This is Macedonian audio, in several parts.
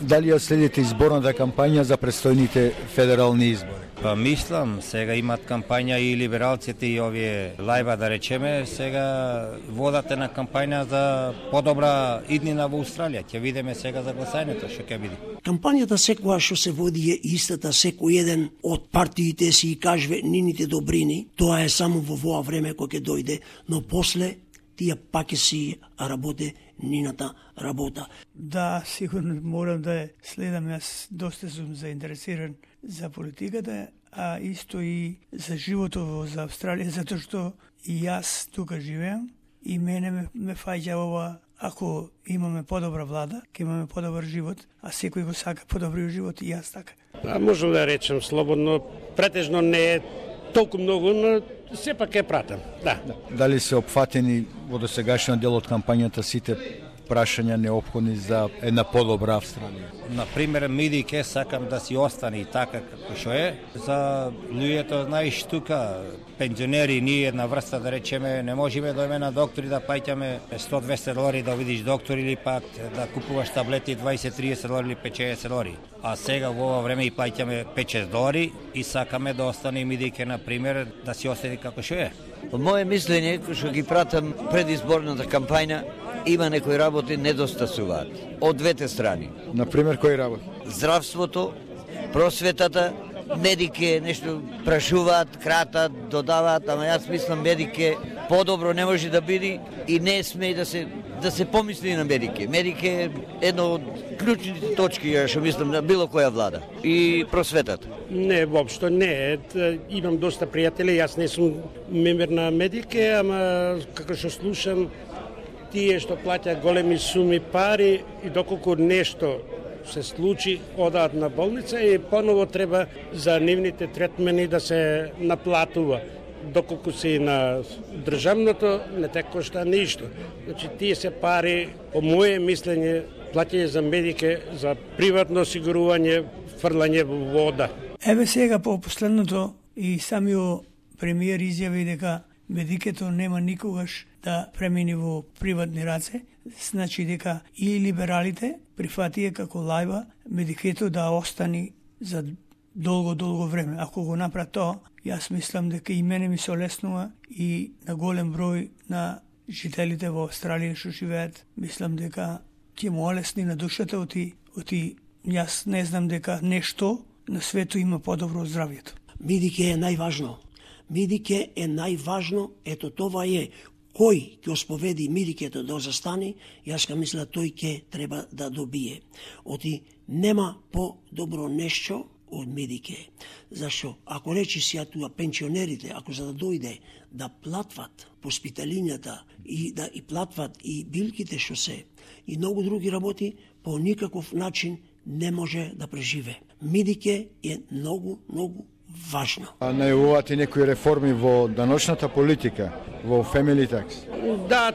Дали ја следите изборната кампања за предстојните федерални избори? Па мислам, сега имат кампања и либералците и овие лајба да речеме, сега водат на кампања за подобра иднина во Австралија. Ќе видиме сега за гласањето што ќе биде. Кампањата секоја што се води е истата, секој еден од партиите си кажува нините добрини, тоа е само во воа време кога ќе дојде, но после тие пак си работе нината работа. Да, сигурно морам да следам, јас доста сум заинтересиран за политиката, а исто и за животот за Австралија, затоа што и јас тука живеам и мене ме фаќа ова, ако имаме подобра влада, ќе имаме подобар живот, а секој го сака подобриот живот и јас така. Можам да речем слободно, претежно не е толку многу, но сепак е пратам. Да. Дали се опфатени во досегашниот дел од кампањата сите прашања неопходни за една подобра Австралија? Например, медике сакам да си остане така како што е. За луѓето, знаеш, тука пензионери, ние една врста да речеме, не можеме да идеме на доктори да плаќаме $100-200 да видиш доктор или пак да купуваш таблети $20-30 или $50. А сега во ова време и плаќаме $5-6 и сакаме да остане медике, например, да си остане како што е. По моje мислење, што ги пратам предизборната кампања, има некои работи недостасуваат од двете страни. Например, кои работи? Здравството, просветата, медике нешто прашуваат, кратат, додаваат, ама јас мислам медике подобро не може да биде и не сме да се помисли на медике. Медике е едно од клучните точки, што мислам на било која влада. И просветата. Не, воопшто не. Имам доста пријатели, јас не сум мембер на медике, ама како што слушам, тие што плаќаат големи суми пари и доколку нешто се случи, одаат на болница и поново треба за нивните третмени да се наплатува. Доколку си на државното, не те кошта ништо. Значи, тие се пари, по моje мислење, плаќање за медике, за приватно осигурување, фрлање во вода. Еве сега по последното и самиот премиер изјави дека медикето нема никогаш да премини во приватни раце, значи дека и либералите прифатија како лајба медикето да остани за долго време. Ако го направи тоа, јас мислам дека и мене ми се олеснува и на голем број на жителите во Австралија што живеат, мислам дека ќе му олесни на душата оти јас не знам дека нешто на свету има подобро од здравјето. Медике е најважно. Медике е најважно, ето това е. Кој ќе осповеди медикето да застане, јас ка мисля тој ќе треба да добие. Оти нема по-добро нешто од медике. Зашо? Ако речи си туа пенсионерите, ако за да дојде да платват поспиталињата и да и платват и билките што се, и многу други работи, по никаков начин не може да преживе. Медике е многу важно. А најавувате некои реформи во даночната политика, во family tax? Да,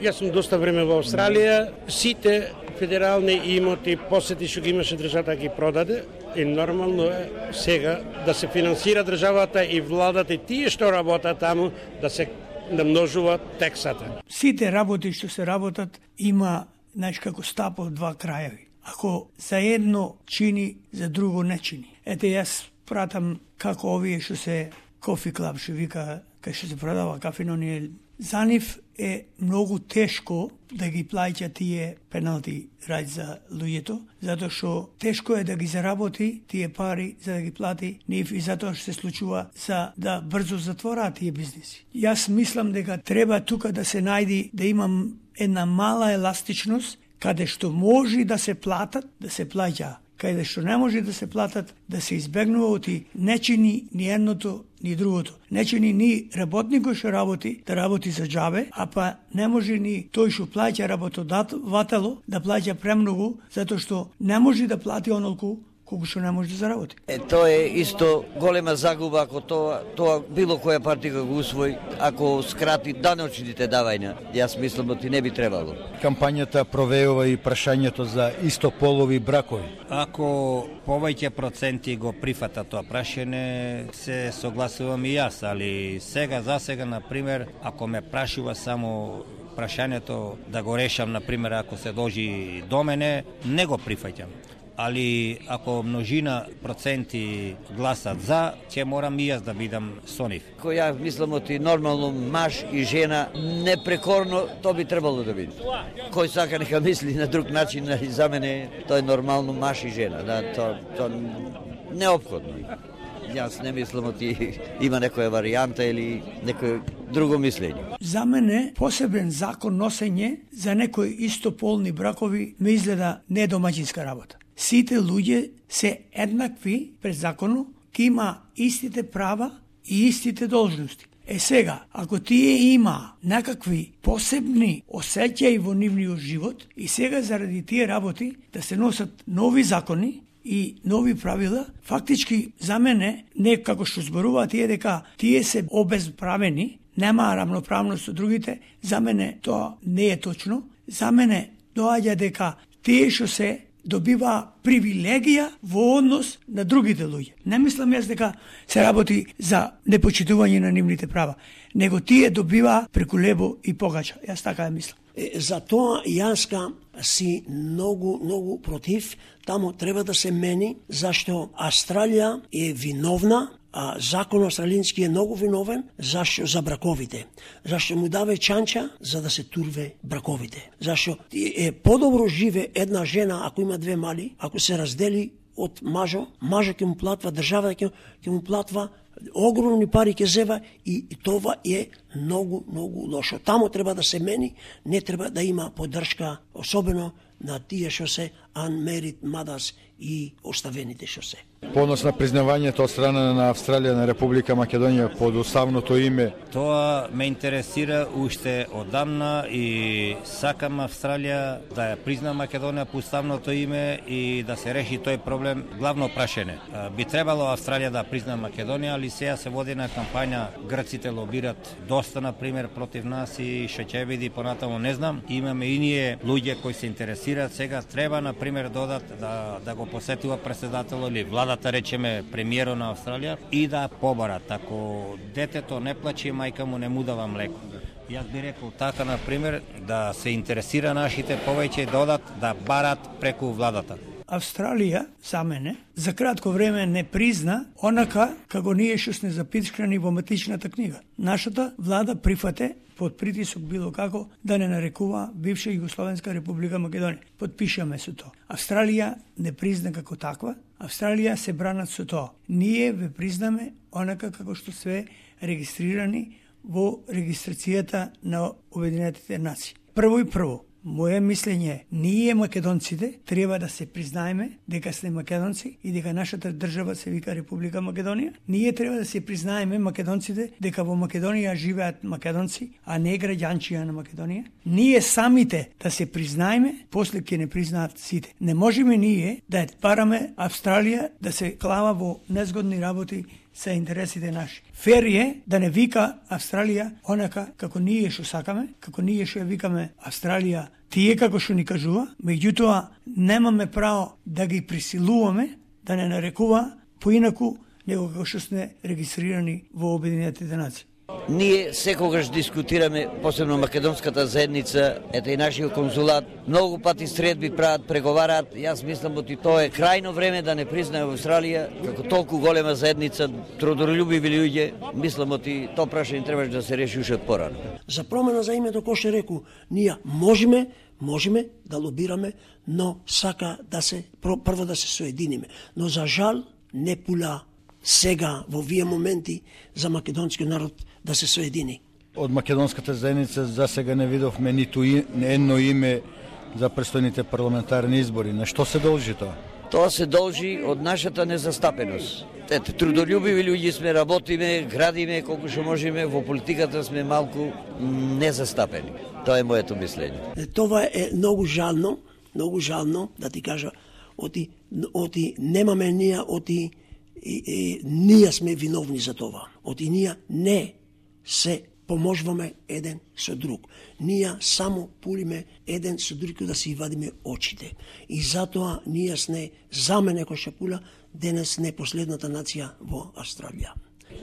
јас сум доста време во Австралија. Сите федерални имоти, посети што ги имаше државата ги продаде и нормално е сега да се финансира државата и владата и тие што работат таму да се намножува тексата. Сите работи што се работат има, знаеш, како стап од два крајави. Ако за едно чини, за друго не чини. Ете, јас пратам како овие што се кофи клаб, што вика, кај што се продава кафено, за нив е многу тешко да ги плаќа тие пеналти рај за луѓето, затоа што тешко е да ги заработи тие пари за да ги плати нив и затоа што се случува за да брзо затвораат тие бизнеси. Јас мислам дека треба тука да се најди, да имам една мала еластичност, каде што може да се платат, да се плаќа, каде што не може да се платат, да се избегнува оти не чини ни едното ни другото. Не чини ни работникот што работи да работи за џабе, а па не може ни тој што плаќа работодатело да плаќа премногу, затоа што не може да плати онолку колку што не може да заработи. Тоа е исто голема загуба ако тоа било која партија го усвои, ако скрати даночните давања. Јас мислам дека не би требало. Кампањата провеува и прашањето за истополови бракови. Ако повеќе проценти го прифата тоа прашање, се согласувам и јас, али за сега, например, ако ме прашува само прашањето да го решам, например, ако се дожи до мене, не го прифаќам. Али ако множина проценти гласат за, ќе морам и јас да бидам со нив. Кој ја мислам оти нормално маж и жена непрекорно, то би требало да биде. Кој сака нека мисли на друг начин, за мене тоа е нормално маж и жена, да, то неопходно. Јас не мислам оти има некоја варијанта или некој друго мислење. За мене посебен закон носење за некои истополни бракови ме изгледа не домаќинска работа. Сите луѓе се еднакви пред законот, ки има истите права и истите должности. Сега, ако тие има некакви посебни осеќаи во нивниот живот и сега заради тие работи да се носат нови закони и нови правила, фактички за мене, не како што зборуваат тие дека тие се обезправени, нема рамноправност со другите, за мене тоа не е точно. За мене доаѓа дека тие што се добива привилегија во однос на другите луѓе. Не мислам јас дека се работи за непочитување на нивните права, него тие добива преку лебо и погача. Јас така ја мислам. За тоа јаска си многу против, таму треба да се мени, зашто Австралија е виновна, а закон австралијански е многу виновен, зашто за браковите. Зашто му даве чанча за да се турве браковите. Зашто е подобро живе една жена ако има две мали, ако се раздели од мажо ќе му платва, државата ќе му платва, огромни пари ќе зева и това е многу лошо. Тамо треба да се мени, не треба да има поддршка, особено на тие што се unmarried mothers и оставените што се. Понос на признавањето од страна на Австралија на Република Македонија под уставното име. Тоа ме интересира уште одамна и сакам Австралија да ја призна Македонија по уставното име и да се реши тој проблем. Главно прашање. Би требало Австралија да призна Македонија, али сега се води на кампања, грците лобират доста, например, против нас и што ќе биде понатаму не знам. Имаме и ние луѓе кои се интересираат, сега треба, например, додат да го посетува председател или владата, речеме премиерот на Австралија, и да побарат. Ако детето не плаче, мајка му не му дава млеко. Јас би рекол така, например, да се интересира нашите повеќе додат да барат преку владата. Австралија, за мене, за кратко време не призна онака како ние што сме запишкани во матичната книга. Нашата влада прифате под притисок било како да не нарекува бивша Југословенска република Македонија. Подпишаме со тоа. Австралија не призна како таква, Австралија се бранат со тоа. Ние ве признаме онака како што све регистрирани во регистрацијата на Обединетите нации. Прво, моје мислење е, ние македонците треба да се признаеме дека сме македонци и дека нашата држава се вика Република Македонија. Ние треба да се признаеме македонците дека во Македонија живеат македонци, а не граѓанчија на Македонија. Ние самите да се признаеме, после ќе не признаат сите. Не можеме ние да бараме Австралија да се клава во незгодни работи се интересите наши. Фер е да не вика Австралија онака како ние што сакаме, како ние што ја викаме Австралија, тие како што ни кажува, меѓутоа немаме право да ги присилуваме да не нарекува поинаку него како што сме регистрирани во Обединетите нации. Ние секогаш дискутираме, посебно македонската заедница, ете и нашиот конзулат, многу пати средби прават, преговараат. Јас мислам оти тоа е крајно време да не признае Австралија како толку голема заедница, трудолюбиви луѓе. Мислам оти тоа прашање требаше да се реши уште од порано. За промена за името, кој што реку, ние можеме да лобираме, но сака да се прво да се соединиме. Но за жал не пула сега во вие моменти за македонскиот народ да се соедини. Од македонската заедница за сега не видовме ниту едно име за престојните парламентарни избори. На што се должи тоа? Тоа се должи од нашата незастапеност. Ете, трудолюбиви луѓе сме, работиме, градиме колку што можеме, во политиката сме малку незастапени. Тоа е моето мислење. Това е многу жално да ти кажа, оти немаме ние, ние сме виновни за това. Ние не се поможуваме еден со друг. Ние само пулиме еден со друг да си вадиме очите. И затоа ние сме, за мене кој што пула, денес не последната нација во Австралија.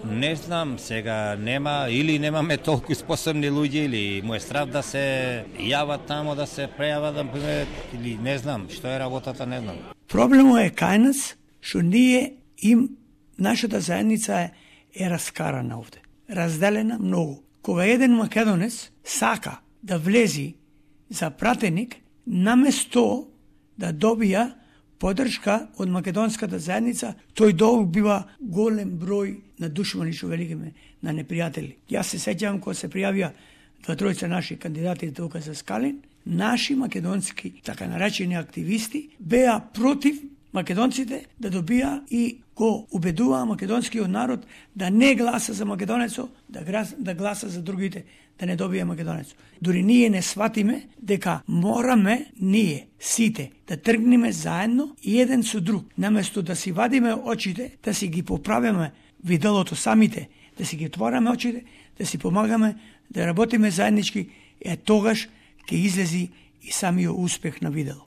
Не знам, сега нема или немаме толку способни луѓе или му е страв да се јават тамо, да се прејават, например, или не знам, што е работата, не знам. Проблемот е кај нас, што ние нашата заедница е раскарана овде, разделена многу. Кога еден македонец сака да влези за пратеник, наместо да добија поддршка од македонската заедница, тој добива голем број на душмани, што великиме, на непријатели. Јас се сеќавам кога се пријавија 2-3 наши кандидати тука за Скалин, наши македонски, така наречени активисти, беа против македонците да добија и го убедуваа македонскиот народ да не гласа за македонецо, да гласа за другите, да не добија македонецо. Дури ние не сватиме дека мораме ние сите да тргнеме заедно и еден со друг, наместо да си вадиме очите, да си ги поправиме виделото самите, да си ги отвораме очите, да си помагаме, да работиме заеднички, тогаш ќе излези и самиот успех на видело.